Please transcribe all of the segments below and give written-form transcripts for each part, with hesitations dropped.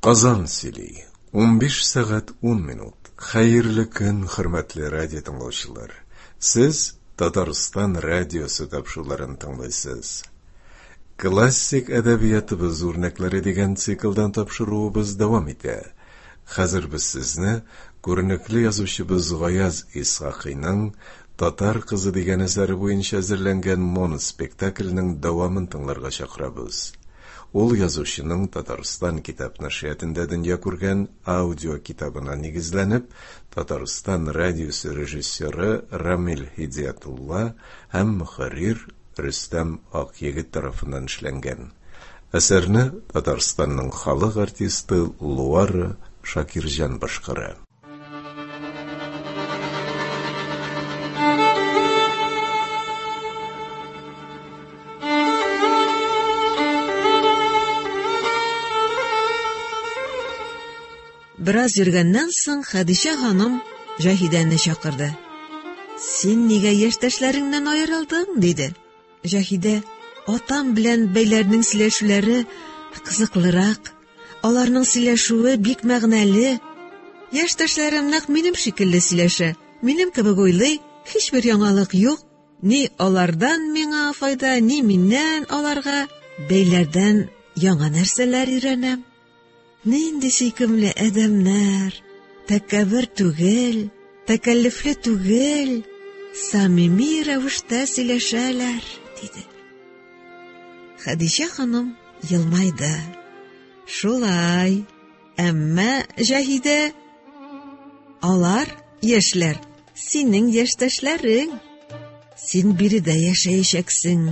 Казан сөйли. 15 сәгать 10 минут. Хәерле көн, хөрмәтле радио тыңлаучылар. Сез Татарстан радиосы тапшыруларын тыңлыйсыз. Классик әдәбиятыбыз үрнәкләре дигән циклдан тапшыруыбыз дәвам итә. Хәзер без сезне күренекле язучыбыз Гаяз Исхакыйның Татар кызы дигән әсәре буенча әзерләнгән моноспектакльнең дәвамын тыңларга чакырабыз. Ул язучының Татарстан китап нәшриятында дөнья күргән аудио китабына нигезләнеп, Татарстан радиосы режиссеры Рамил Һидиятулла һәм мөхәррир Рөстәм Акъегет тарафыннан эшләнгән. Әсәрне Татарстанның халык артисты Луара Шакирҗан башкара. Бераз йөргәннән соң Хәдичә ханым Җаһидәне чакырды. Син нигә яшьтәшләреңнән аерылдың? диде. Җаһидә, атам белән бәйләрнең сөйләшүләре кызыклырак. Аларның сөйләшүе бик мәгънәле. Яшьтәшләрем нәкъ минем шикелле сөйләшә, минем кебек уйлый, һичбер яңалык юк. Ни алардан миңа файда, ни миннән аларга. Бәйләрдән яңа нәрсәләр өйрәнәм. Нинди сөйкемле адәмнәр! Тәкәббер түгел, тәкәллефле түгел, самими рәвештә сөйләшәләр, диде. Хәдичә ханым елмайды. Шулай. Әмма Җаһидә, алар яшьләр, синең яшьтәшләрең. Син биредә яшәячәксең.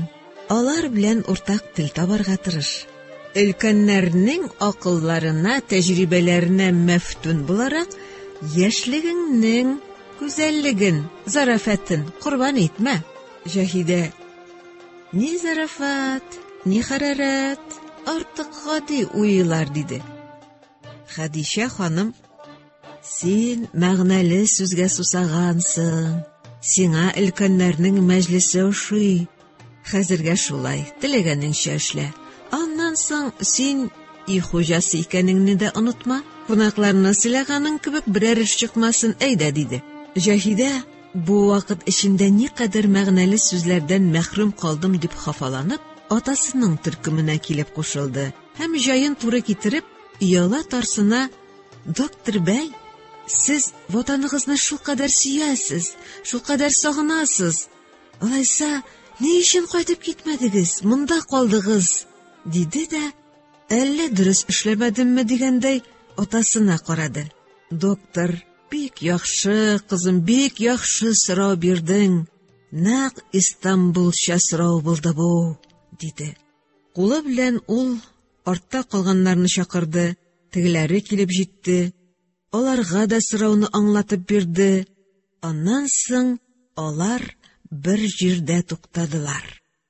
Алар белән уртак тел табарга тырыш. Өлкәннәрнең акылларына, тәҗрибәләренә мәфтүн буларак, яшьлегеңнең гүзәллеген, зарафәтен корбан итмә. Җаһидә Ни зарафат, ни хәрарәт, артык гади уйлар, диде. Хәдичә ханым, син мәгънәле сүзгә сусагансың, сиңа өлкәннәрнең мәҗлесе ошый. Хәзергә шулай, теләгәнеңчә эшлә. Аннан соң син өй хуҗасы икәнеңне дә онытма. Кунакларны сыйлаганың кебек берәр эш чыкмасын, әйдә, диде. Җаһидә Бу вакыт эчендә никадәр мәгънәле сүзләрдән мәхрүм калдым дип хафаланып, атасының төркеменә килеп кушылды һәм җаен туры китереп, ояла тарсына «Доктор бәй, сез ватаныгызны шулкадәр сөясез, шулкадәр сагынасыз. Алайса, ни өчен кайтып китмәдегез, монда калдыгыз?» диде дә, әллә дөрес эшләмәдемме дигәндәй, атасына карады. Доктор Бик яхшы, кызым, бик яхшы сорау бирдең. Нәкъ Истанбулча сорау булды бу, диде. Кулы белән ул артта калганнарны чакырды, тегеләре килеп җитте. Аларга да сорауны аңлатып бирде. Аннан соң алар бер җирдә туктадылар.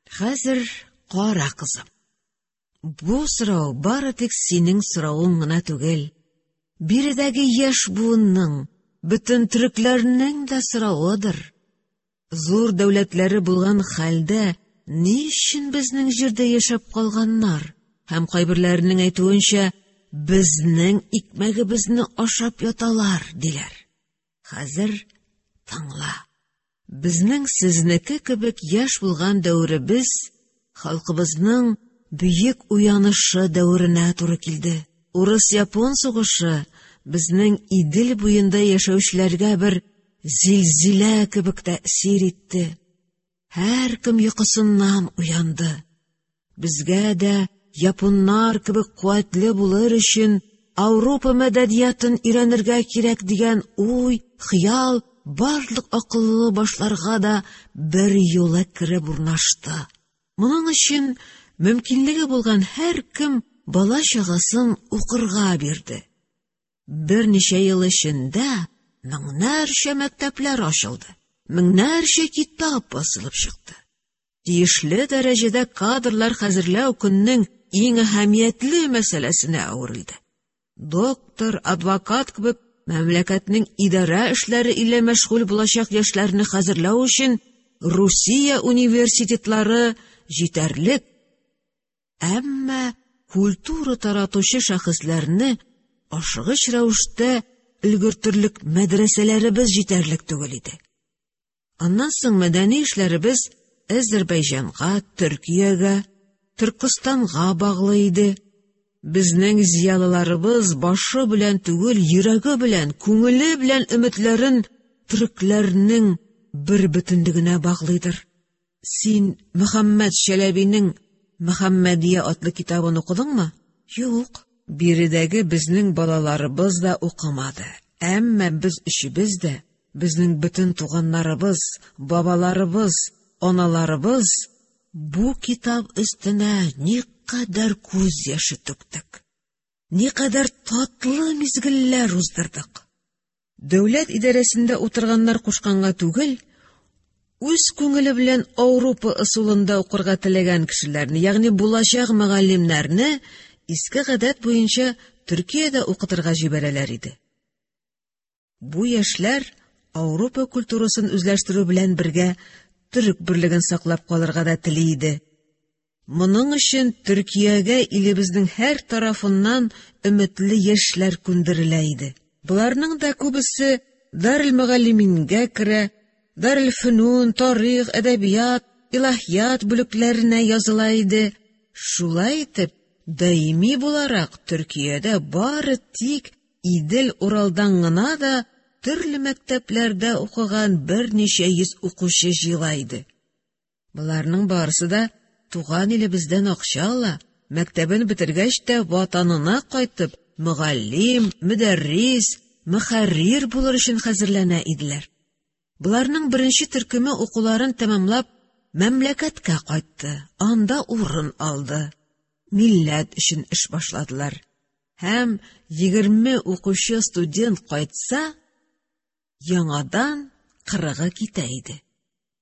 Хәзер кара, кызым. Бу сорау бары тик синең соравың гына түгел. Биредәге яшь буынның, бөтен төрекләрнең дә соравыдыр. Зур дәүләтләре булган хәлдә ни өчен безнең җирдә яшәп калганнар һәм кайберләренең әйтүенчә, безнең икмәгебезне ашап яталар, диләр. Хәзер тыңла. Безнең сезнеке кебек яшь булган дәверебез халкыбызның бөек уянышы дәверенә туры килде. Урыс-япон сугышы безнең Идел буенда яшәүчеләргә бер зилзилә кебек тәэсир итте. Һәркем йокысыннан уянды. Безгә дә японнар кебек куәтле булыр өчен Ауропа мәдәниятын өйрәнергә кирәк дигән уй, хыял барлык акыллы башларга да бер юлы кереп урнашты. Моның өчен мөмкинлеге булган һәркем бала-чагасын укырга бирде. Берничә ел эчендә меңнәрчә мәктәпләр ачылды, меңнәрчә китап басылып чыкты. Тиешле дәрәҗәдә кадрлар хәзерләү көннең иң әһәмиятле мәсьәләсенә әверелде. Доктор, адвокат кебек мәмләкәтнең идарә эшләре илә мәшгуль булачак яшьләрне хәзерләү өчен Русия университетлары җитәрлек. Әмма культура таратучы шәхесләрне ашыгыч рәвештә өлгертерлек мәдрәсәләребез җитәрлек түгел иде. Аннан соң мәдәни эшләребез Әзербәйҗанга, Төркиягә, Төркестанга баглы иде. Безнең зыялыларыбыз башы белән түгел, йөрәге белән, күңеле белән өметләрен төрекләрнең бер бөтенлегенә баглыйдыр. Син Мөхәммәд Чәләбинең Мөхәммәдия атлы китабын укыдыңмы? Юк. Биредәге безнең балаларыбыз да укымады. Әмма без өчебез дә, безнең бөтен туганнарыбыз, бабаларыбыз, аналарыбыз бу китап өстенә никадәр күз яше түктек. Никадәр татлы мизгелләр уздырдык. Дәүләт идарәсендә утырганнар кушканга түгел, үз күңеле белән Ауропа ысулында укырга теләгән кешеләрне, ягъни булачак мөгаллимнәрне иске гадәт буенча Төркиядә укытырга җибәрәләр иде. Бу яшьләр Ауропа культурасын үзләштерү белән бергә төрек берлеген саклап калырга да тели иде. Моның өчен Төркиягә илебезнең һәр тарафыннан өметле яшьләр күндерелә иде. Боларның да күбесе Дарел-мөгаллимингә керә, Дарел-фөнүн, тарих, әдәбият, илаһият бүлекләренә языла иде. Шулай итеп, даими буларак Төркиядә бары тик Идел-Уралдан гына да төрле мәктәпләрдә укыган берничә йөз укучы җыела иде. Боларның барысы да туган илебездән акча ала, мәктәбен бетергәч тә ватанына кайтып, мөгаллим, мөдәррис, мөхәррир булыр өчен хәзерләнә иделәр. Боларның беренче төркеме укуларын тәмамлап, мәмләкәткә кайтты, анда урын алды. Милләт өчен эш башладылар. Һәм 20 укучы студент кайтса, яңадан кырыгы китә иде.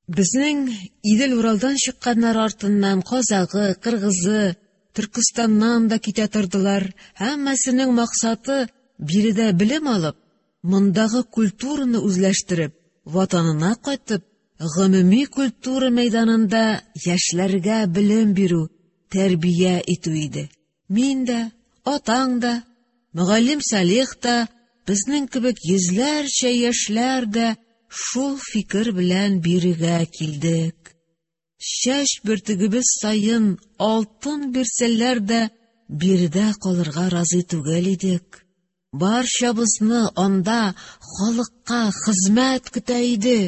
Безнең Идел-Уралдан чыкканнар артыннан казагы, кыргызы, Төркестаннан да китә тордылар. Һәммәсенең максаты биредә белем алып, мондагы культураны үзләштереп, ватанына кайтып, гомуми культура мәйданында яшьләргә белем бирү, тәрбия итү иде. Мин дә, атаң да, мөгаллим Салих та, безнең кебек йөзләрчә яшьләр дә шул фикер белән бирегә килдек. Чәч бөртегебез саен алтын бирсәләр дә биредә калырга разый түгел идек. Барчабызны анда халыкка хезмәт көтә иде.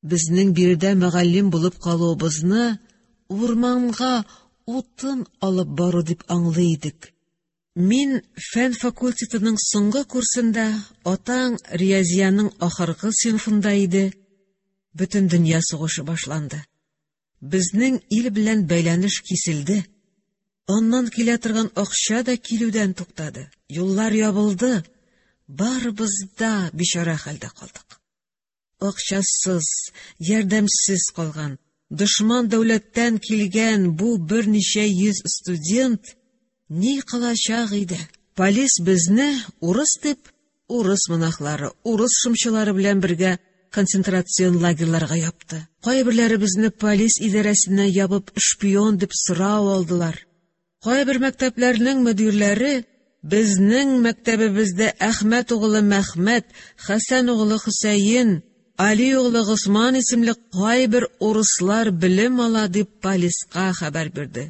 Безнең биредә мөгаллим булып калуыбызны урманга утын алып бару дип аңлый идек. Мин фән факультетының соңгы курсында, атаң риязияның ахыргы сыйныфында иде. Бөтен дөнья сугышы башланды. Безнең ил белән бәйләнеш киселде. Аннан килә торган акча да килүдән туктады. Юллар ябылды. Барыбыз да бичара хәлдә калдык. Акчасыз, ярдәмсез калган, дошман дәүләттән килгән бу берничә йөз студент ни кылачак иде? Полис безне урыс дип, урыс монахлары, урыс шымчылары белән бергә концентрацион лагерьларга япты. Кайберләребезне полис идарәсенә ябып шпион дип сорау алдылар. Кайбер мәктәпләрнең мөдирләре безнең мәктәбебездә Әхмәт угылы Мәхмәт, Хәсән угылы Хөсәен, Али угылы Госман исемле кайбер урыслар белем ала дип полиска хәбәр бирде.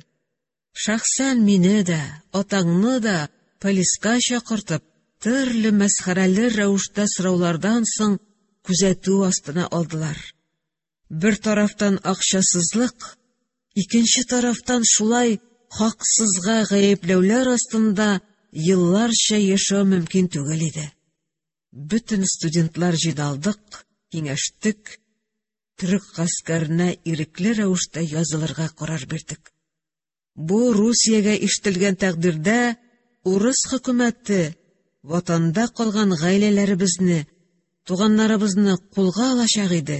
Шәхсән мине дә, атаңны да полиска чакыртып, төрле мәсхәрәле рәвештә сораулардан соң күзәтү астына алдылар. Бер тарафтан акчасызлык, икенче тарафтан шулай хаксызга гаепләүләр астында елларча яшәү мөмкин түгел иде. Бөтен студентлар җыйналдык, киңәштек, төрек гаскәренә ирекле рәвештә язылырга карар бирдек. Бу Русиягә ишетелгән тәкъдирдә урыс хөкүмәте ватанда калган гаиләләребезне, туганнарыбызны кулга алачак иде.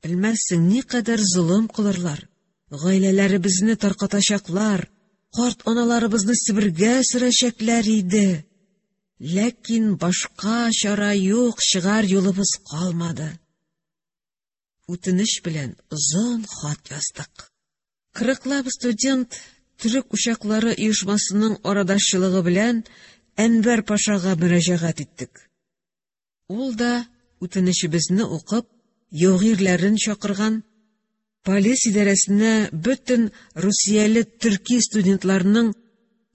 Белмәссең, никадәр золым кылырлар, гаиләләребезне таркатачаклар, карт аналарыбызны Себергә сөрәчәкләр иде. Ләкин башка чара юк, чыгар юлыбыз калмады. Үтенеч белән озын хат яздык. Кырыклап студент төрек учаклары оешмасының арадашчылыгы белән Әнвәр пашага мөрәҗәгать иттек. Ул да үтенечебезне укып, яугирләрен чакырган, полис идарәсенә бөтен русияле төрки студентларның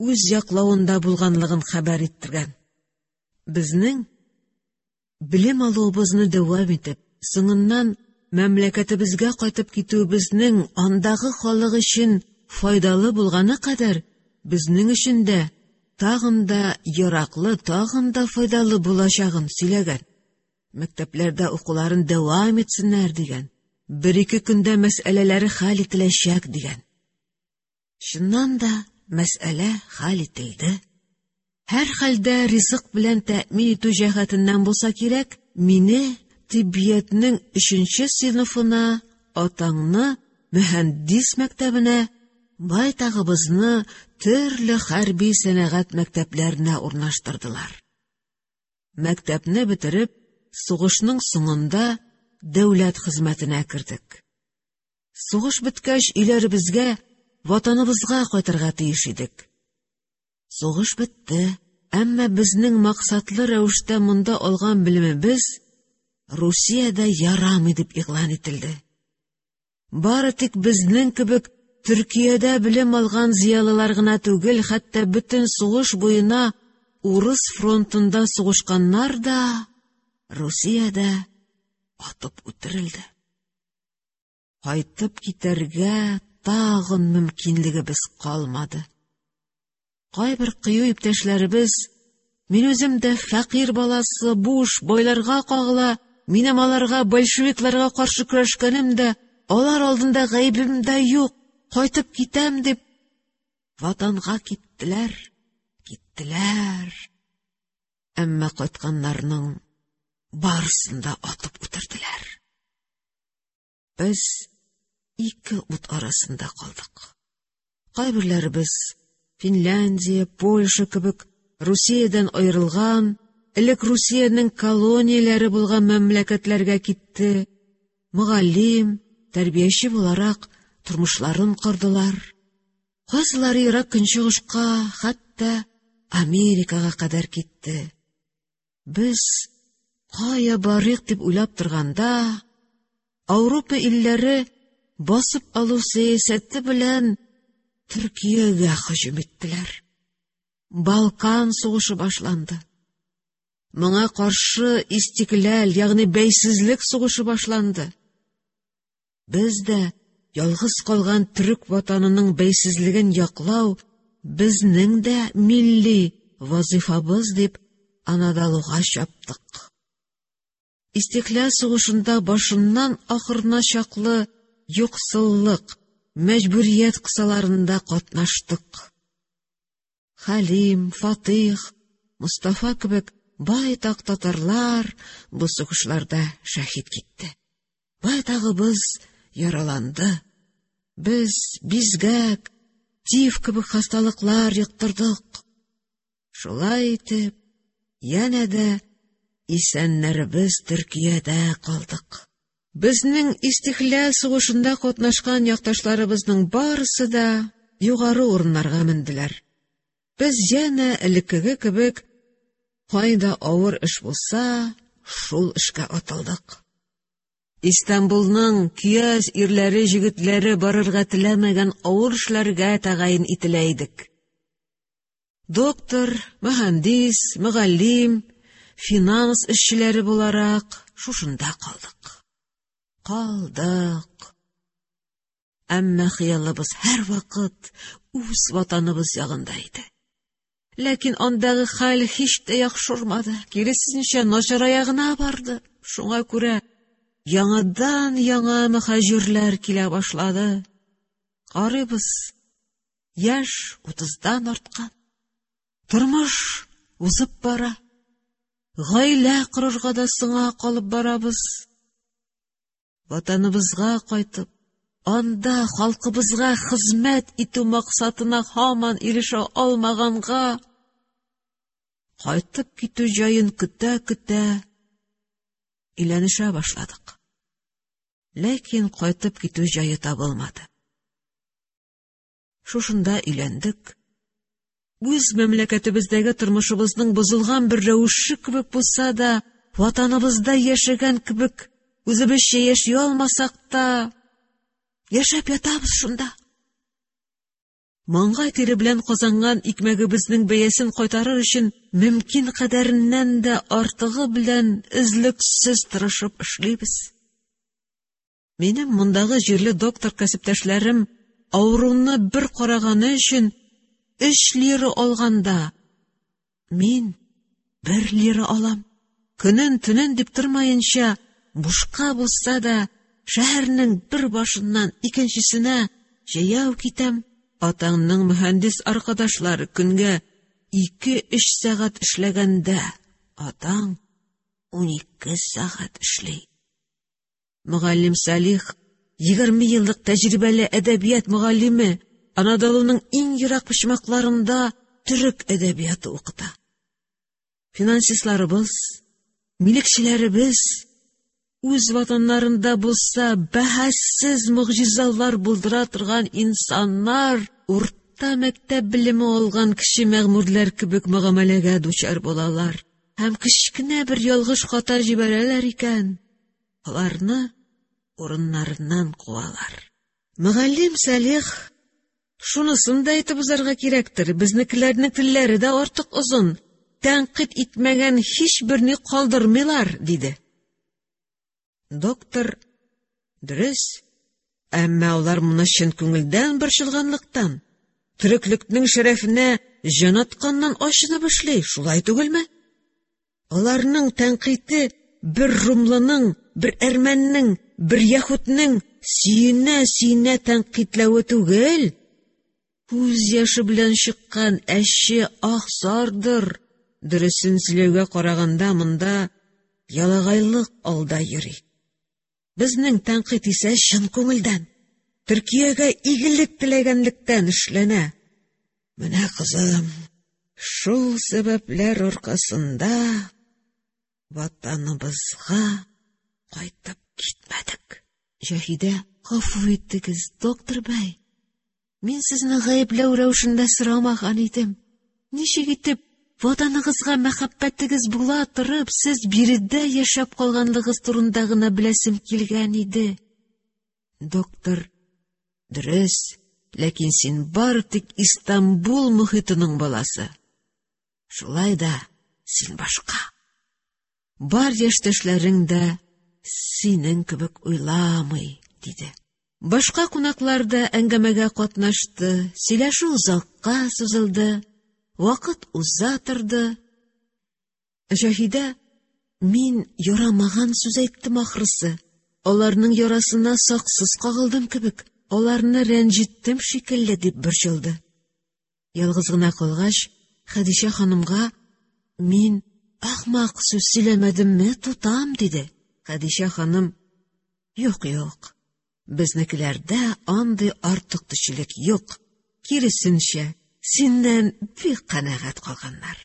үз яклавында булганлыгын хәбәр иттергән. Безнең белем алуыбызны дәвам итеп, соңыннан мәмләкәтебезгә кайтып китүебезнең андагы халык өчен файдалы булганы кадәр безнең өчен дә тагын да яраклы, тагын да файдалы булачагын сөйләгән. Мәктәпләрдә укуларын дәвам итсеннәр дигән. Бер-ике көндә мәсьәләләре хәл ителәчәк дигән. Чыннан да мәсьәлә хәл ителде. Һәрхәлдә ризык белән тәэмин итү җәһәтеннән булса кирәк, мине тиббиятнең өченче сыйныфына, атаңны мөһәндис мәктәбенә, байтагыбызны төрле хәрби сәнәгать мәктәпләренә урнаштырдылар. Мәктәпне бетереп, сугышның соңында дәүләт хезмәтенә кердек. Сугыш беткәч, өйләребезгә, ватаныбызга кайтырга тиеш идек. Сугыш бетте, әмма безнең максатлы рәвештә монда алган белемебез Русиядә ярамый дип игълан ителде. Бары тик безнең кебек Төркиядә белем алган зыялылар гына түгел, хәтта бөтен сугыш буена урыс фронтында сугышканнар да Русиядә атып үтерелде. Кайтып китәргә тагын мөмкинлегебез калмады. Кайбер кыю иптәшләребез, мин үзем дә фәкыйрь баласы, буш, байларга кагыла, минем аларга, большевикларга каршы көрәшкәнем дә, алар алдында гаебем дә юк, кайтып китәм дип, ватанга киттеләр, киттеләр. Әмма кайтканнарның барысын да атып үтерделәр. Без ике ут арасында калдык. Кайберләребез Финляндия, Польша кебек Русиядән аерылган, элек Русиянең колонияләре булган мәмләкәтләргә китте. Мөгаллим, тәрбияче буларак тормышларын кордылар. Кайсылары ерак көнчыгышка, хәтта Америкага кадәр китте. Без кая барыйк дип уйлап торганда, Ауропа илләре басып алу сәясәте белән Төркиягә һөҗүм иттеләр. Балкан сугышы башланды. Моңа каршы истикләл, ягъни бәйсезлек сугышы башланды. Без дә ялгыз калган төрек ватанының бәйсезлеген яклау безнең дә милли вазифабыз дип Анадолуга чаптык. Истикләл сугышында башыннан ахырына чаклы юксыллык, мәҗбүрият кысаларында катнаштык. Хәлим, Фатих, Мостафа кебек байтак татарлар бу сугышларда шәһит китте. Байтагыбыз яраланды. Без бизгәк, тиф кебек хасталыклар йоктырдык. Шулай итеп, янә дә исәннәребез Төркиядә калдык. Безнең истикләл сугышында катнашкан якташларыбызның барысы да югары урыннарга менделәр. Без янә элеккеге кебек кайда авыр эш булса, шул эшкә атылдык. Истанбулның көяз ирләре җегетләре барырга теләмәгән авыр эшләргә тәгаен ителә идек. Доктор, мөһәндис, мөгаллим, финанс эшчеләре буларак шушында калдык. Калдык. Әмма хыялыбыз һәрвакыт үз ватаныбыз ягында иде. Ләкин андагы хәл һич тә яхшырмады, киресенчә начарая гына барды. Шуңа күрә яңадан-яңа мөхаҗирләр килә башлады. Карыйбыз, яшь утыздан арткан. Тормыш узып бара. Гаилә корырга да соңа калып барабыз. Ватаныбызга кайтып, анда халкыбызга хезмәт итү максатына һаман ирешә алмаганга, кайтып китү җаен көтә-көтә өйләнешә башладык. Ләкин кайтып китү җае табылмады. Шушында өйләндек. Үз мәмләкәтебездәге тормышыбызның бозылган бер рәвеше кебек булса да, ватаныбызда яшәгән кебек үзебезчә яши алмасак та, яшәп ятабыз шунда. Маңгай тире белән казанган икмәгебезнең бәясен кайтарыр өчен мөмкин кадәреннән дә артыгы белән өзлексез тырышып эшлибез. Минем мондагы җирле доктор кәсептәшләрем авыруны бер караганы өчен 3 лира алганда, мин 1 лира алам. Көнен-төнен дип тормаенча, бушка булса да, шәһәрнең бер башыннан икенчесенә җәяү китәм. Атаңның мөһәндис аркадашлары көнгә 2-3 сәгать эшләгәндә, атаң 12 сәгать эшли. Мөгаллим Салих, 20 еллык тәҗрибәле әдәбият мөгаллиме, Анадолуның иң ерак почмакларында төрек әдәбияты укыта. Финансистларыбыз, милекчеләребез үз ватаннарында булса бәһассез могҗизалар булдыра торган инсаннар урта мәктәп белеме алган кече мәгъмурлар кебек мөгамәләгә дучар булалар һәм кечкенә бер ялгыш хата җибәрәләр икән, аларны урыннарыннан куалар. Мөгаллим Салих, шунысын да әйтеп узарга кирәктер, безнекеләрнең телләре дә артык озын, тәнкыйть итмәгән һич берни калдырмыйлар, диде. Доктор, дөрес, әмма алар моны чын күңелдән борчылганлыктан, төреклекнең шәрәфенә җан атканнан ачынып эшли, шулай түгелме? Аларның тәнкыйте бер румлының, бер әрмәннең, бер яһүднең сөенә-сөенә тәнкыйтьләве түгел, күз яше белән чыккан әче ах-зардыр. Дөресен сөйләүгә караганда монда ялагайлык алда йөри. Безнең тәнкыйть исә чын күңелдән, Төркиягә игелек теләгәнлектән эшләнә. Менә, кызым, шул сәбәпләр аркасында ватаныбызга кайтып китмәдек. Җаһидә, гафу итегез, доктор бәй. Мин сезне гаепләү рәвешендә сорамаган идем. Ничек итеп ватаныгызга мәхәббәтегез була торып, сез биредә яшәп калганлыгыз турында гына беләсем килгән иде. Доктор, дөрес, ләкин син бары тик Истанбул мохитының баласы. Шулай да син башка. Бар яшьтәшләрең дә синең кебек уйламый, диде. Башка кунаклар да әңгәмәгә катнашты, сөйләшү озакка сузылды, вакыт уза торды. Җаһидә, мин ярамаган сүз әйттем ахрысы, аларның ярасына саксыз кагылдым кебек, аларны рәнҗеттем шикелле дип борчылды. Ялгыз гына калгач, Хәдичә ханымга мин ахмак сүз сөйләмәдемме, тутам, диде. Хәдичә ханым, юк, юк, безнекеләрдә андый артык төчелек юк, киресенчә, синнән бик канәгать калганнар.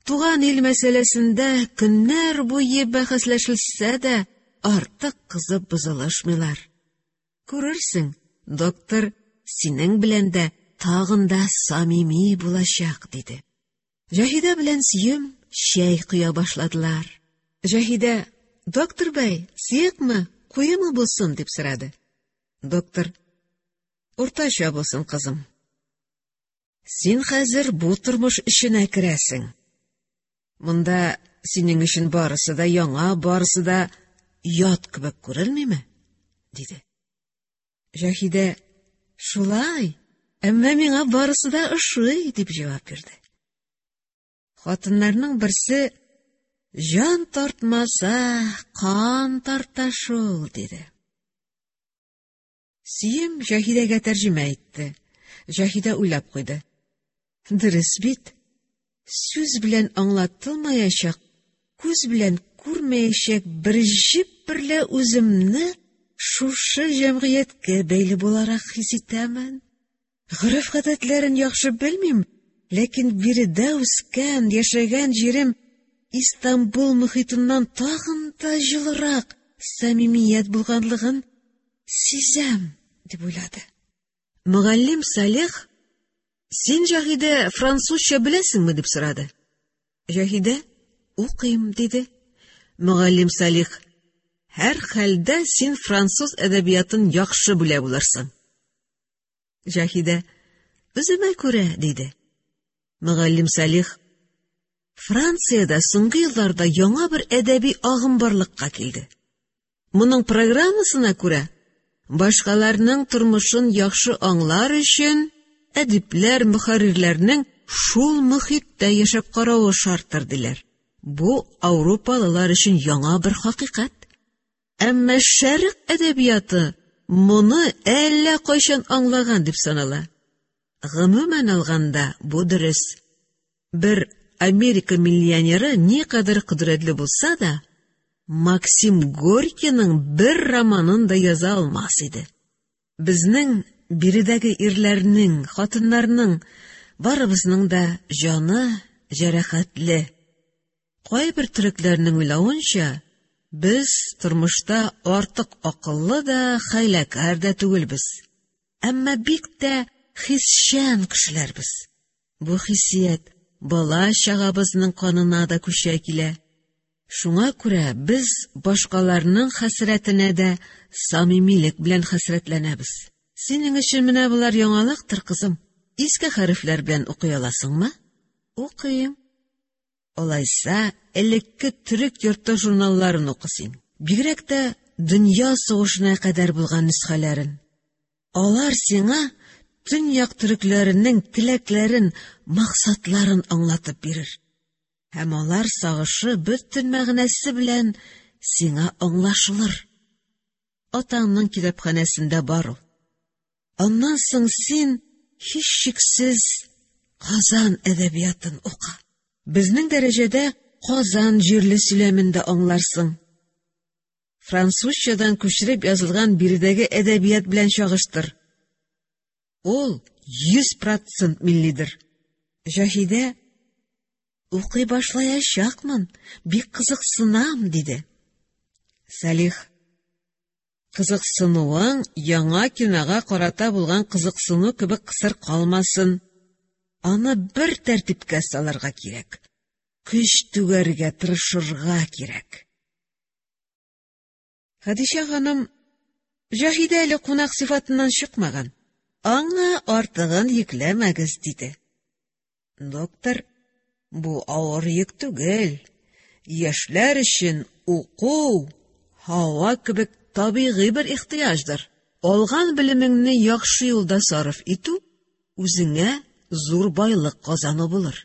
Туган ил мәсьәләсендә көннәр буе бәхәсләшелсә дә, артык кызып бозылышмыйлар. Күрерсең, доктор синең белән дә тагын да самими булачак, диде. Җаһидә белән Сөем чәй коя башладылар. Җаһидә, доктор бәй, сыекмы, куемы булсын, дип сорады. Доктор, уртача булсын, кызым. Син хәзер бу тормыш эченә керәсең. Монда синең өчен барысы да яңа, барысы да ят кебек күренмиме? Диде. Җаһидә, шулай, әмма миңа барысы да ошый, дип җавап бирде. Хатыннарның берсе, җан тартмаса, кан тарта шул, диде. Сөем Җаһидәгә тәрҗемә итте. Җаһидә уйлап куйды. Дөрес бит. Сүз белән аңлатылмаячак, күз белән күрмәячәк бер җеп берлә үземне шушы җәмгыятькә бәйле буларак хис итәмен. Гореф-гадәтләрен яхшы белмим, ләкин биредә үскән, яшәгән җирем Истанбул мөхитеннән тагын да җылырак самимият булганлыгын сизәм, дип уйлады. Мөгаллим Салих, Син, Җаһидә, французча беләсеңме? дип сорады. Җаһидә, укыйм, диде. Мөгаллим Салих, һәрхәлдә син француз әдәбиятын яхшы белә булырсың. Җаһидә, үземә күрә, диде. Мөгаллим Салих, Франциядә соңгы елларда яңа бер әдәби агым барлыкка килде. Моның программасына күрә, башкаларның тормышын яхшы аңлар өчен әдипләр, мөхәррирләрнең шул мөхиттә яшәп каравы шарттыр, диләр. Бу ауропалылар өчен яңа бер хакыйкать. Әмма шәрык әдәбияты моны әллә кайчан аңлаган дип санала. Гомумән алганда, бу дөрес. Бер Америка миллионеры никадәр кодрәтле булса да, Максим Горькийның бер романын да яза алмас иде. Безнең биредәге ирләрнең, хатыннарның барыбызның да җаны җәрәхәтле. Кайбер төрекләрнең уйлавынча, без тормышта артык акыллы да, хәйләкәр дә түгелбез. Әмма бик тә хисчән кешеләрбез. Бу хиссият бала-чагабызның канына да күчә килә. Шуңа күрә без башкаларның хәсрәтенә дә самимилек белән хәсрәтләнәбез. Синең өчен менә болар яңалыктыр, кызым. Иске хәрефләр белән укый аласыңмы? Укыйм. Алайса, элекке төрек йорты журналларын укы син. Бигрәк тә дөнья сугышына кадәр булган нөсхәләрен. Алар сиңа төньяк төрекләренең теләкләрен, максатларын аңлатып бирер. Һәм алар сагышы бөтен мәгънәсе белән сиңа аңлашылыр. Атаңның китапханәсендә бар ул. Аннан соң син һичшиксез Казан әдәбиятын укы. Безнең дәрәҗәдә Казан җирле сөйләмен дә аңларсың. Французчадан күчереп язылган биредәге әдәбият белән чагыштыр. Ул 100% миллидер. Җаһидә, укый башлаячакмын, бик кызыксынам, диде. Салих, кызыксынуың яңа кинога карата булган кызыксыну кебек кысыр калмасын. Аны бер тәртипкә салырга кирәк. Көч түгәргә тырышырга кирәк. Хәдичә ханым, Җаһидә әле кунак сыйфатыннан чыкмаган. Аңа артыгын йөкләмәгез, диде. Доктор, бу авыр йөк түгел. Яшьләр өчен уку һава кебек табигый бер ихтыяҗдыр. Алган белемеңне яхшы юлда сарыф итү үзеңә зур байлык казану булыр.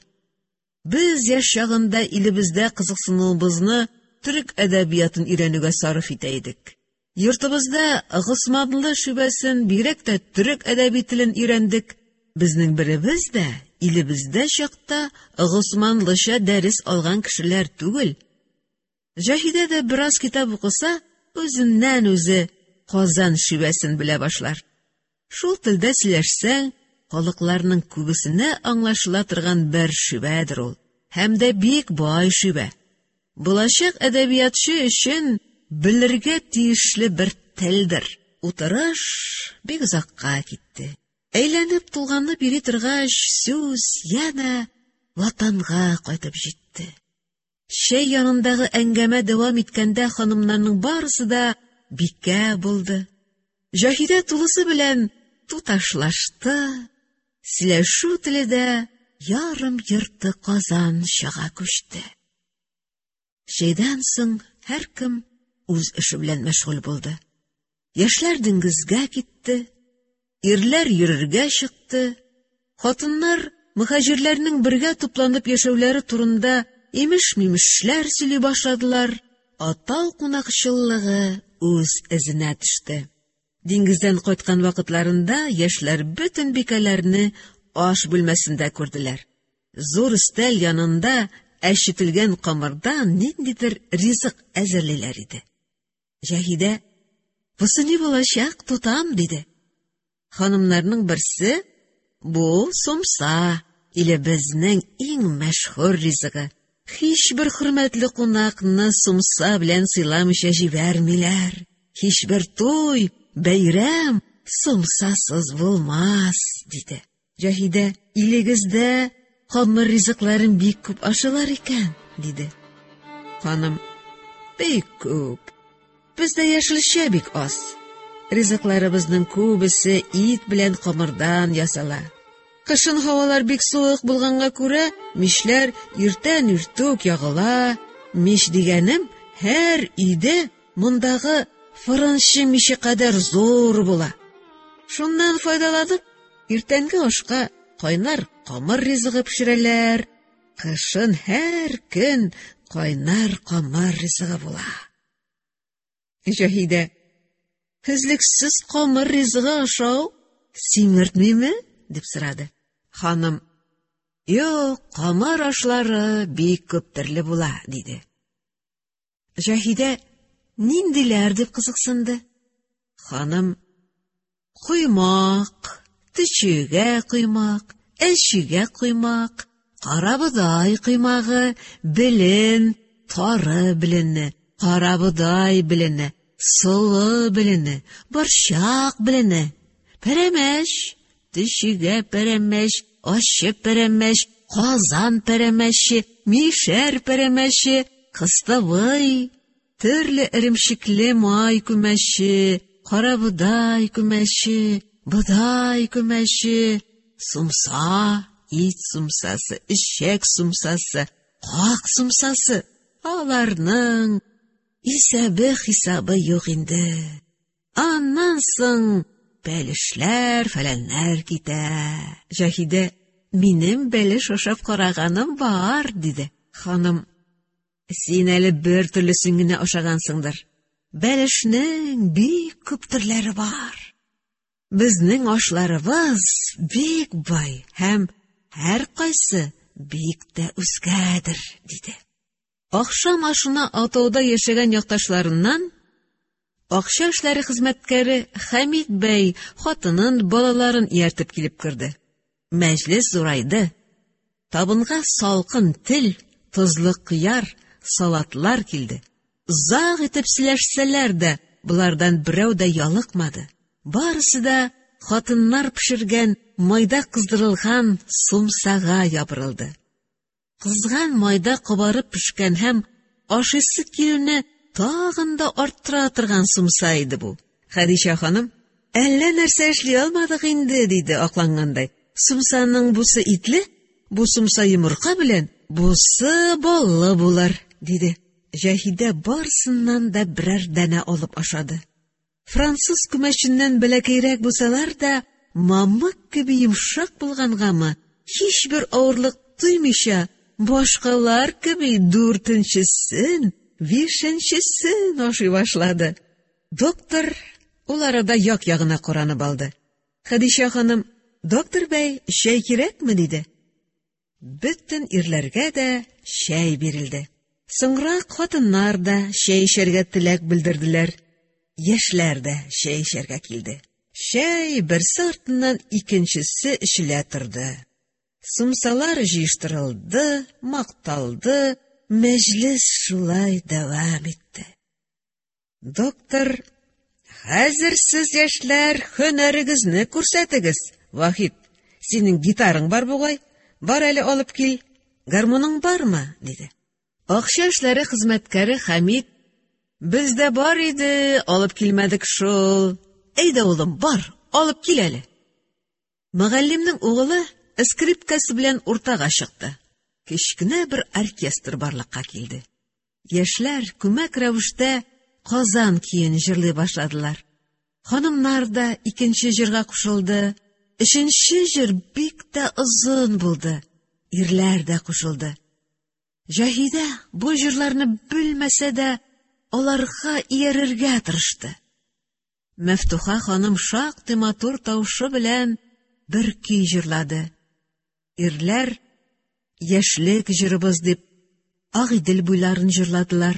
Без яшь чагында илебездә кызыксынуыбызны төрек әдәбиятын өйрәнүгә сарыф итә идек. Йортыбызда Госманлы шүбәсен, бигрәк тә төрек әдәби телен өйрәндек. Безнең беребез дә илебездә чакта госманлыча дәрес алган кешеләр түгел. Җаһидә дә бераз китап укыса, үзеннән-үзе Казан шивәсен белә башлар. Шул телдә сөйләшсәң, халыкларның күбесенә аңлашыла торган бер шивәдер ул. Һәм дә бик бай шивә. Булачак әдәбиятчы өчен белергә тиешле бер телдер. Утырыш бик озакка китте. Әйләнеп тулганып йөри торгач, сүз янә ватанга кайтып җитте. Чәй янындагы әңгәмә дәвам иткәндә ханымнарның барысы да бикә булды. Җаһидә тулысы белән туташлашты, сөйләшү теле дә ярым-йорты Казанчага күчте. Чәйдән соң һәркем үз эше белән мәшгуль булды. Яшьләр диңгезгә китте, ирләр йөрергә чыкты, хатыннар мөхаҗирләрнең бергә тупланып яшәүләре турында имеш-мимешләр сөйли башладылар, атау кунакчыллыгы үз эзенә төште. Диңгездән кайткан вакытларында яшьләр бөтен бикәләрне аш бүлмәсендә күрделәр. Зур өстәл янында әчетелгән камырдан ниндидер ризык әзерлиләр иде. Җаһидә, "Бусы ни булачак, тотам", диде. Ханымнарның берсе, "Бу сумса, илебезнең иң мәшһүр ризыгы. Һичбер хөрмәтле кунакны сумса белән сыйламыйча җибәрмиләр. Һичбер туй, бәйрәм сумсасыз булмас", диде. Җаһидә, илегездә камыр ризыкларын бик күп ашыйлар икән, диде. Ханым, бик күп. Бездә яшелчә бик аз. Ризыкларыбызның күбесе ит белән камырдан ясала. Кышын һавалар бик суык булганга күрә, мичләр иртән иртүк ягыла. Мич дигәнем һәр өйдә мондагы фырынчы миче кадәр зур була. Шуннан файдаланып, иртәнге ашка кайнар камыр ризыгы пешерәләр. Кышын һәр көн кайнар камыр ризыгы була. Җаһидә, өзлексез камыр ризыгы ашау симертмиме? дип сорады. Ханым, юк, камыр ашлары бик күп төрле була, диде. Җаһидә, ниндиләр дип кызыксынды. Ханым, коймак, төчегә коймак, әчегә коймак, карабодай коймагы, белен, тары белене, карабодай белене, солы белене, борчак белене, пәрәмәч, төчегә пәрәмәч, ачы пәрәмәч, казан пәрәмәче, мишәр пәрәмәче, кыстыбый, төрле эремчекле май күмәче, карабодай күмәче, бодай күмәче, сумса, ит сумсасы, эчәк сумсасы, как сумсасы, аларның исәбе-хисабы юк инде. Аннан соң бәлешләр, фәләннәр китә. Җаһидә, минем бәлеш ашап караганым бар, диде. Ханым, син әле бер төрлесен генә ашагансыңдыр. Бәлешнең бик күп төрләре бар. Безнең ашларыбыз бик бай һәм һәркайсы бик тә үзгәдер, диде. Ахшам ашына атауда яшәгән якташларыннан акча эшләре хезмәткәре Хәмид бәй хатынын, балаларын ияртеп килеп керде. Мәҗлес зурайды. Табынга салкын тел, тозлы кыяр, салатлар килде. Озак итеп сөйләшсәләр дә, болардан берәү дә ялыкмады. Барысы да хатыннар пешергән майда кыздырылган сумсага ябырылды. Кызган майда кабарып пешкән һәм ашыйсы килүне тагын да арттыра торган сумса иде бу. Хәдичә ханым, әллә нәрсә эшли алмадык инде, диде аклангандай. Сумсаның бусы итле, бу сумса йомырка белән, бусы баллы булыр, диде. Җаһидә барысыннан да берәр данә алып ашады. Француз күмәченнән бәләкәйрәк булсалар да, мамык кеби йомшак булгангамы, һичбер авырлык тоймыйча, башкалар кеби дүртенчесен, бишенчесен ашый башлады. Доктор ул арада як-ягына каранып алды. Хәдичә ханым, доктор бәй, чәй кирәкме, диде. Бөтен ирләргә дә чәй бирелде. Соңрак хатыннар да чәй эчәргә теләк белдерделәр. Яшьләр дә чәй эчәргә килде. Чәй берсе артыннан икенчесе эчелә торды. Сумсалар җыештырылды, макталды, мәҗлес шулай дәвам итте. Доктор, хәзер сез, яшьләр, һөнәрегезне күрсәтегез. Вахит, синең гитараң бар бугай, бар әле алып кил. Гармуның бармы? диде. Акча эшләре хезмәткәре Хәмид, бездә бар иде, алып килмәдек шул. Әйдә, улым, бар, алып кил әле. Мөгаллимнең угылы скрипкасы белән уртага чыкты. Кечкенә бер оркестр барлыкка килде. Яшьләр күмәк рәвештә Казан көен җырлый башладылар. Ханымнар да икенче җырга кушылды. Өченче җыр бик тә озын булды. Ирләр дә кушылды. Җаһидә бу җырларны белмәсә дә, аларга иярергә тырышты. Мәфтуха ханым шактый матур тавышы белән бер көй җырлады. Ирләр яшьлек җырыбыз дип Агыйдел буйларын җырладылар.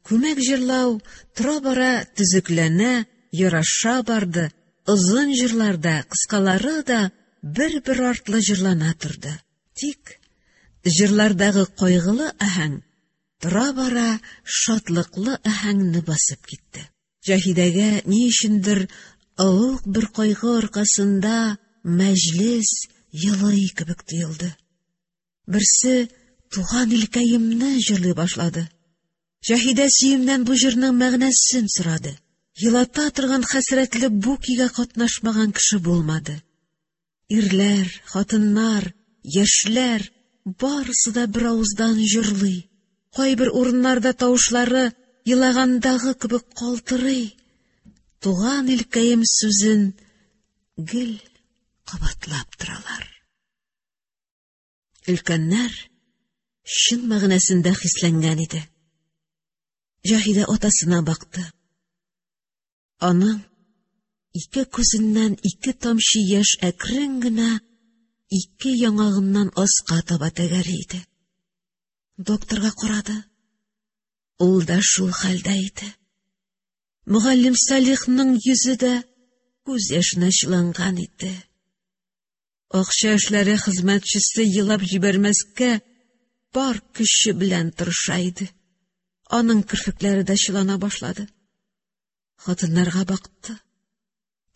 Күмәк җырлау тора-бара төзекләнә, яраша барды. Озын җырлар да, кыскалары да бер-бер артлы җырлана торды. Тик җырлардагы кайгылы аһәң тора-бара шатлыклы аһәңне басып китте. Җаһидәгә ни өчендер олуг бер кайгы аркасында мәҗлес елый кебек тоелды. Берсе Туган илкәемне җырлый башлады. Җаһидә Сөемнән бу җырның мәгънәсен сорады. Елата торган хәсрәтле бу көйгә катнашмаган кеше булмады. Ирләр, хатыннар, яшьләр барысы да бер авыздан җырлый. Кайбер урыннарда тавышлары елагандагы кебек калтырый. Туган илкәем сүзен гел кабатлап торалар. Өлкәннәр чын мәгънәсендә хисләнгән иде. Җаһидә атасына бакты. Аның ике күзеннән ике тамчы яшь әкрен генә ике яңагыннан аска таба тәгәри иде. Докторга карады. Ул да шул хәлдә иде. Мөгаллим Салихның йөзе дә күз яшенә чыланган иде. Акча эшләре хезмәтчесе елап җибәрмәскә бар көче белән тырыша иде. Аның керфекләре дә чылана башлады. Хатыннарга бакты.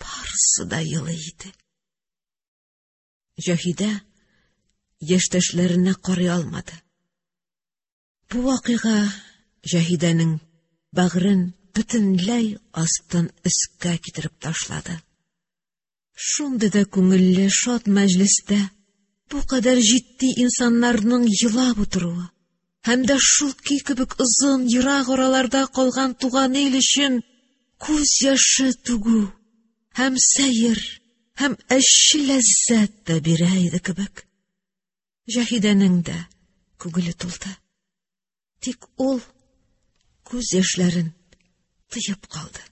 Барысы да елый иде. Җаһидә яшьтәшләренә карый алмады. Бу вакыйга Җаһидәнең бәгырен бөтенләй астын өскә китереп ташлады. Шундый да күңелле, шат мәҗлестә бу кадәр җитди инсаннарның елап утыруы һәм дә шул көй кебек озын, ерак араларда калган туган ил өчен күз яше түгү һәм сәер, һәм әче ләззәт тә бирә иде кебек. Җаһидәнең дә күңеле тулды. Тик ул күз яшьләрен тыеп калды.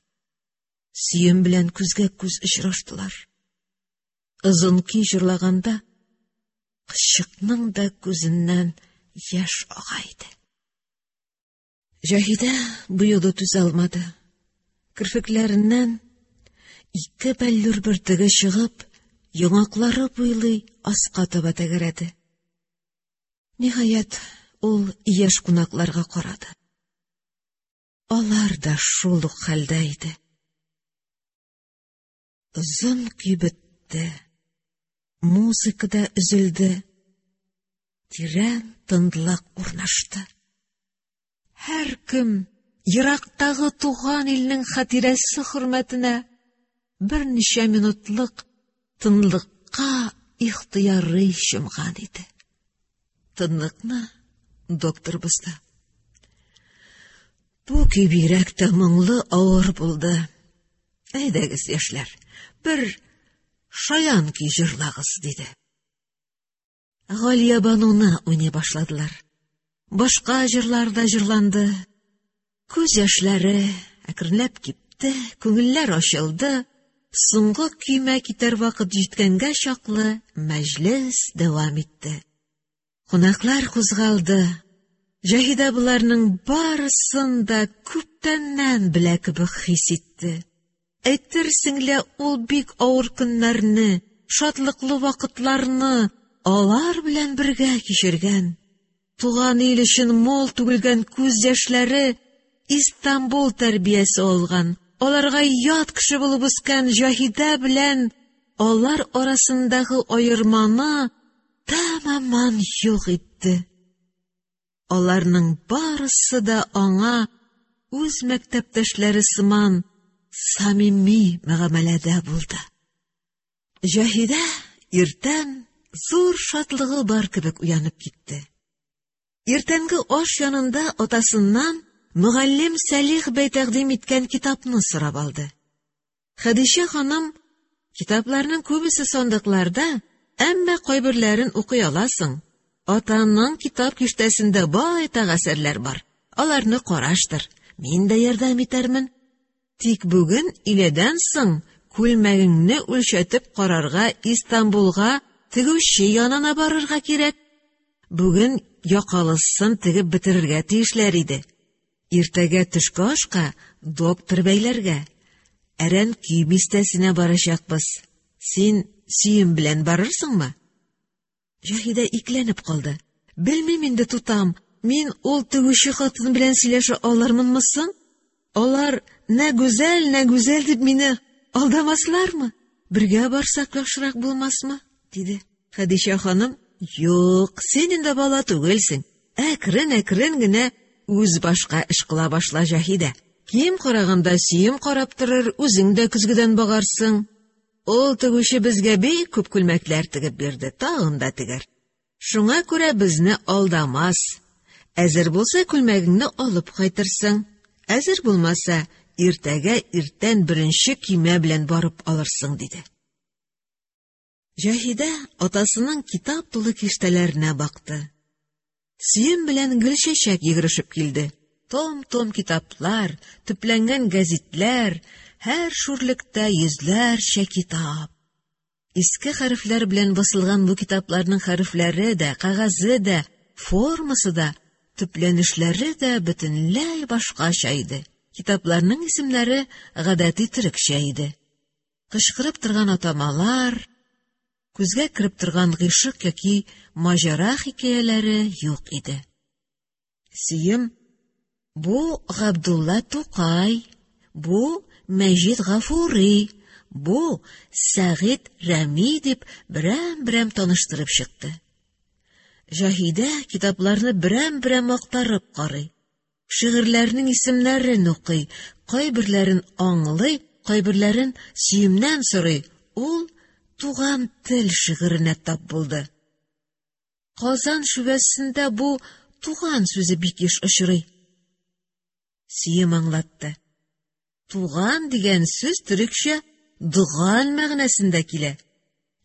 Сөем белән күзгә күз очраштылар. Озын көй җырлаганда кызчыкның да күзеннән яшь ага иде. Җаһидә бу юлы түзә алмады. Керфекләреннән ике бәллүр бөртеге чыгып, яңаклары буйлый аска таба тәгәрәде. Ниһаять, ул яшь кунакларга карады. Алар да шул ук хәлдә иде. Озын көй бетте. Музыка да өзелде. Тирән тынлык урнашты. Һәркем ерактагы туган илнең хатирәсе хөрмәтенә берничә минутлык тынлыкка ихтыярый чумган иде. Тынлыкны доктор бозды. Бу көй бигрәк тә моңлы, авыр булды. Әйдәгез, яшьләр, бер шаян көй җырлагыз, диде. Галиябануны уйный башладылар. Башка җырлар да җырланды. Күз яшьләре әкренләп кипте, күңелләр ачылды. Соңгы көймә китәр вакыт җиткәнгә чаклы мәҗлес дәвам итте. Кунаклар кузгалды. Җаһидә боларның барысын да күптәннән белә кебек хис итте. Әйтерсең лә ул бик авыр көннәрне, шатлыклы вакытларны алар белән бергә кичергән. Туган ил өчен мул түгелгән күз яшьләре Истанбул тәрбиясе алган, аларга ят кеше булып үскән Җаһидә белән алар арасындагы аерманы тәмамән юк итте. Аларның барысы да аңа үз мәктәптәшләре сыман самими мөгамәләдә булды. Җаһидә иртән зур шатлыгы бар кебек уянып китте. Иртәнге аш янында атасыннан мөгаллим Сәлих бәй тәкъдим иткән китапны сорап алды. Хәдичә ханым, китапларның күбесе сандыкларда, әмма кайберләрен укый аласың. Атаңның китап киштәсендә байтак әсәрләр бар. Аларны караштыр, мин дә ярдәм итәрмен. Тик бүген иләдән соң күлмәгеңне үлчәтеп карарга Истанбулга тегүче янына барырга кирәк. Бүген якалысын тегеп бетерергә тиешләр иде. Иртәгә төшке ашка доктор бәйләргә, Әрәнкөй бистәсенә барачакбыз. Син Сөем белән барырсыңмы? Җаһидә икеләнеп калды. Белмим инде, тутам, мин ул тегүче хатын белән сөйләшә алырмынмы соң? Алар нә гүзәл, нә гүзәл дип мине алдамаслармы? Бергә барсак яхшырак булмасмы? диде. Хәдичә ханым, юк, син инде бала түгелсең. Әкрен-әкрен генә үз башка эш кыла башла, Җаһидә. Кием караганда сөем карап торыр, үзең дә көзгедән багарсың. Ул тегүче безгә бик күп күлмәкләр тегеп бирде, тагын да тегәр. Шуңа күрә безне алдамас. Әзер булса күлмәгеңне алып кайтырсың. Әзер булмаса, иртәгә иртән беренче көймә белән барып алырсың, диде. Җаһидә атасының китап тулы киштәләренә бакты. Сөем белән Гөлчәчәк йөгерешеп килде. Том-том китаплар, төпләнгән гәзитләр, һәр шүрлектә йөзләрчә китап. Иске хәрефләр белән басылган бу китапларның хәрефләре дә, кәгазе дә, формасы да, төпләнешләре дә бөтенләй башкача иде. Китапларның исемнәре гадәти төрекчә иде. Кычкырып торган атамалар, күзгә кереп торган гыйшык яки маҗара хикәяләре юк иде. Сөем, бу Габдулла Тукай, бу Мәҗит Гафури, бу Сәгыйть Рәми дип берәм-берәм таныштырып чыкты. Җаһидә китапларны берәм-берәм актарып карый. Шигырьләрнең исемнәрен укый, кайберләрен аңлый, кайберләрен сөемнән сорый. Ул Туган тел шигыренә тап булды. Казан шүвәсендә бу туган сүзе бик еш очрый. Сөем аңлатты. Туган дигән сүз төрекчә доган мәгънәсендә килә.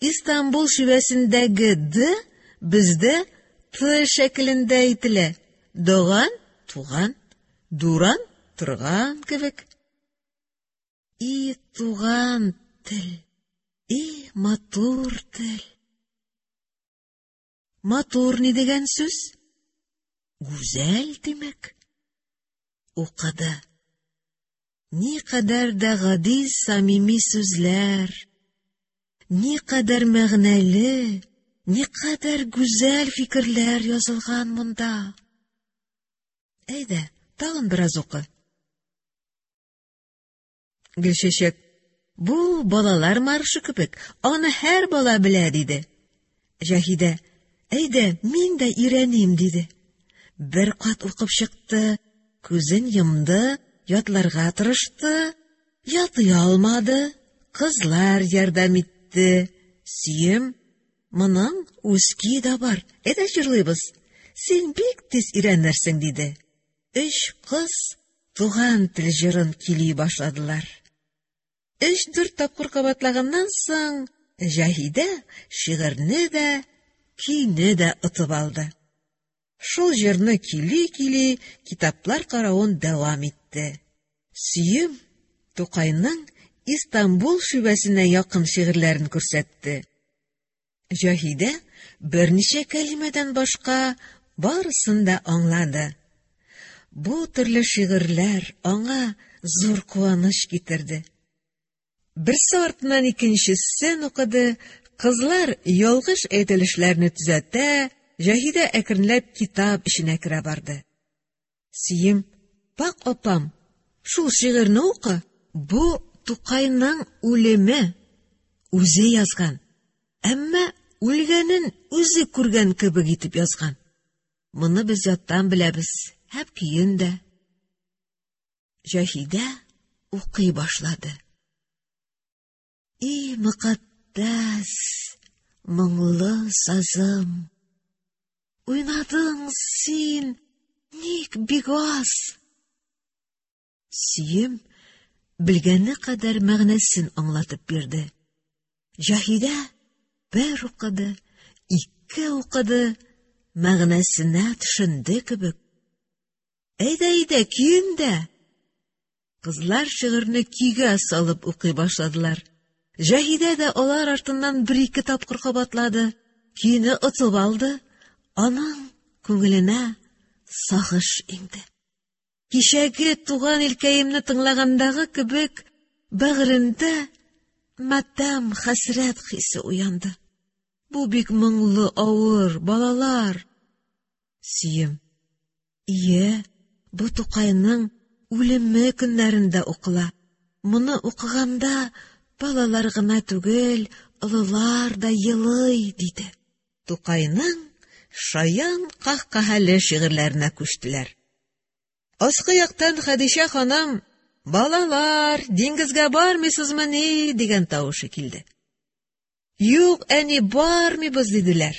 Истанбул шивәсендәге д бездә т шәкелендә әйтелә. Доган туган, дуран торган кебек. И туган тел, и матур тел. Матур ни дигән сүз? Гүзәл димәк. Укыды. Никадәр дә гади самими сүзләр, никадәр мәгънәле, никадәр гүзәл фикерләр язылган монда. Әйдә, тагын бераз укы. Гөлчәчәк, бу балалар маршы кебек, аны һәр бала белә, диде. Җаһидә, әйдә, мин дә өйрәним, диде. Бер кат укып чыкты, күзен йомды, ятларга тырышты, ятлый алмады, кызлар ярдәм итте. Сөем, моның үз көе дә бар, әйдә җырлыйбыз. Син бик тиз өйрәнерсең, диде. Өч кыз туган тел җырын көйли башладылар. Өч-дүрт тапкыр кабатлаганнан соң, Җаһидә шигырьне дә, көйне дә отып алды. Шул җырны көйли-көйли китаплар каравын дәвам итте. Сөем Тукайның Истанбул шивәсенә якын шигырьләрен күрсәтте. Җаһидә берничә кәлимәдән башка барысын да аңлады. Бу төрле шигырьләр аңа зур куаныч китерде. Берсе артыннан икенчесен укыды, кызлар ялгыш әйтелешләрне төзәтә, Җаһидә әкренләп китап эченә керә барды. Сөем, бак апам, шул шигырьне укы, бу Тукайның үлеме, үзе язган. Әмма үлгәнен үзе күргән кебек итеп язган. Моны без яттан беләбез, һәм көен дә. Җаһидә укый башлады. И мөкатдәс, моңлы сазым! Уйнадың син ник бик аз? Сөем белгәне кадәр мәгънәсен аңлатып бирде. Җаһидә бер укыды, ике укыды, мәгънәсенә төшенде кебек. Әйдә, әйдә, көен дә! Кызлар шигырьне көйгә салып укый башладылар. Җаһидә дә алар артыннан бер-ике тапкыр кабатлады, көйне отып алды, аның күңеленә сагыш иңде. Кичәге туган илкәемне тыңлагандагы кебек, бәгырендә матәм, хәсрәт хисе уянды. Бу бик моңлы, авыр, балалар. Сөем. Ие, бу Тукайның үлеме көннәрендә укыла. Моны укыганда балалар гына түгел, Олылар да елый, диде. Тукайның шаян каһкаһәле шигырьләренә күчтеләр. Аскы яктан Хәдичә ханым: "Балалар, диңгезгә бармыйсызмыни?" дигән тавышы килде. Юк, әни, бармыйбыз, диделәр.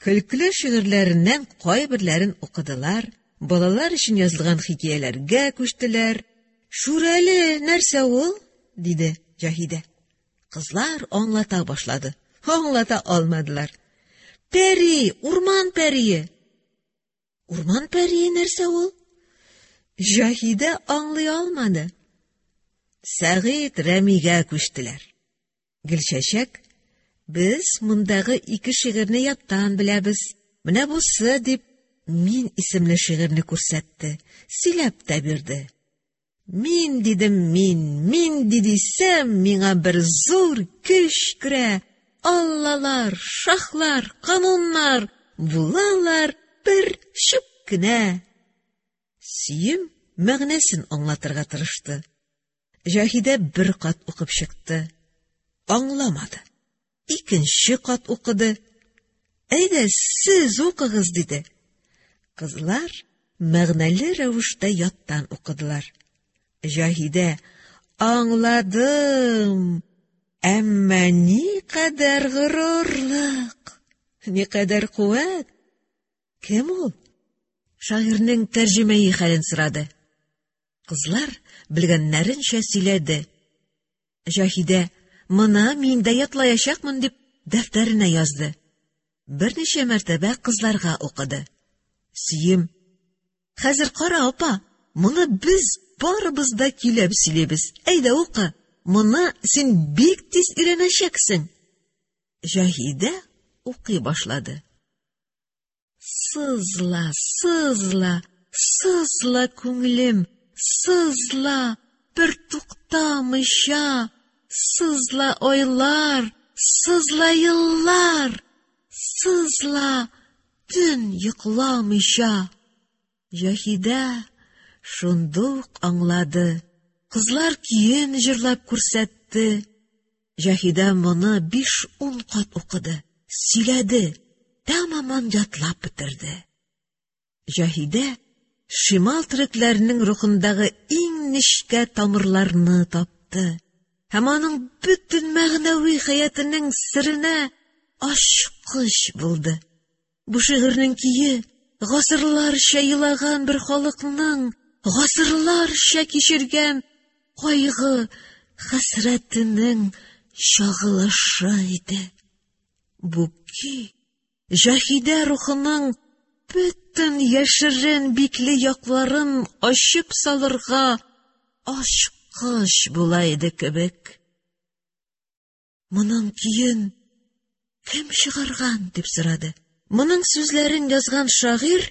Көлкеле шигырьләреннән кайберләрен укыдылар, балалар өчен язылган хикәяләргә күчтеләр. Шүрәле нәрсә ул? диде Җаһидә. Кызлар аңлата башлады. Аңлата алмадылар. Пәри, урман пәрие. Урман пәрие нәрсә ул? Җаһидә аңлый алмады. Сәгыйть Рәмигә күчтеләр. Гөлчәчәк, без мондагы ике шигырьне яттан беләбез. Менә бусы, дип, Мин исемле шигырьне күрсәтте, сөйләп тә бирде. Мин дидем мин, мин дидисәм, миңа бер зур көч керә. Аллалар, шахлар, кануннар булалар бер чүп кенә. Сөем мәгънәсен аңлатырга тырышты. Җаһидә бер кат укып чыкты. Аңламады. Икенче кат укыды. Әйдә, сез укыгыз, диде. Кызлар мәгънәле рәвештә яттан укыдылар. Җаһидә, аңладым, әмма никадәр горурлык, никадәр куәт. Кем ул? Шагыйрьнең тәрҗемәи хәлен сорады. Кызлар белгәннәренчә сөйләде. Җаһидә, моны мин дә ятлаячакмын дип, дәфтәренә язды. Берничә мәртәбә кызларга укыды. Сөем. Хәзер кара, апа, моны без барыбыз да көйләп сөйлибез. Әйдә укы. Моны син бик тиз өйрәнәчәксең. Җаһидә укый башлады. Сызла, сызла, сызла, күңелем, сызла, бер туктамыйча, сызла айлар, сызла еллар, сызла төн йокламыйча. Җаһидә шундук аңлады. Кызлар көен җырлап күрсәтте. Җаһидә моны 5-10 кат укыды, сөйләде, тәмаман ятлап бетерде. Җаһидә шимал төрекләренең рухындагы иң нечкә тамырларны тапты һәм аның бөтен мәгънәви хәятының серенә ачкыч булды. Бу шигырьнең көе гасырларча елаган бер халыкның гасырларча кичергән кайгы хәсрәтенең чагылышы иде. Бу көй Җаһидә рухының бөтен яшерен бикле якларын ачып салырга ачкыч була иде кебек. Моның көен кем чыгарган дип сорады. Моның сүзләрен язган шагыйрь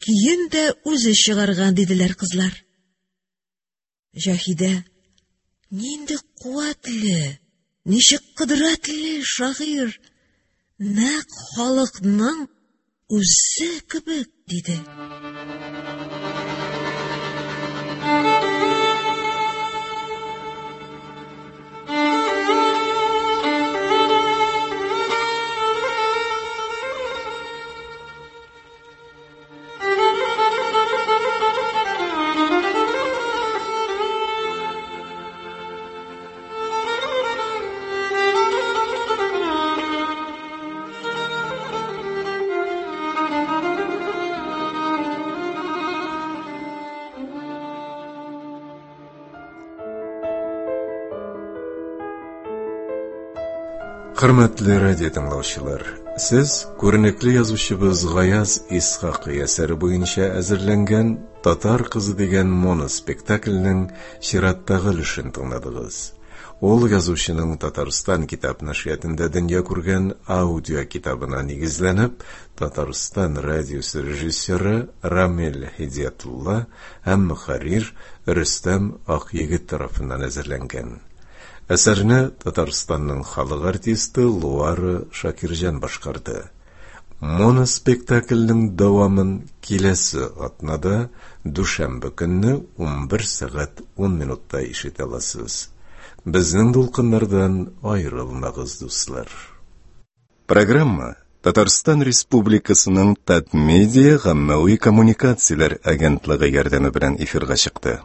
көен дә үзе чыгарган диделәр кызлар. Җаһидә нинди куәтле, ничек кодрәтле шагыйрь, нәкъ халыкның үзе кебек, диде. Хөрмәтле радио тыңлаучылар, сез күренекле язучыбыз Гаяз Исхакый әсәре буенча әзерләнгән Татар кызы дигән моноспектакльнең чираттагы өлешен тыңладыгыз. Ул язучының Татарстан китап нәшриятында дөнья күргән аудио китабына нигезләнеп, Татарстан радиосы режиссеры Рамил Һидиятулла һәм мөхәррир Рөстәм Акъегет тарафыннан әзерләнгән. Әсәрне Татарстанның халык артисты Луара Шакирҗан башкарды. Моноспектакльнең дәвамын киләсе атнада дүшәмбе көнне 11 сәгать 10 минутта ишетә аласыз. Безнең дулкыннардан аерылмагыз, дуслар. Программа Татарстан Республикасының Татмедиа гаммәви коммуникацияләр агентлыгы ярдәме белән эфирга чыкты.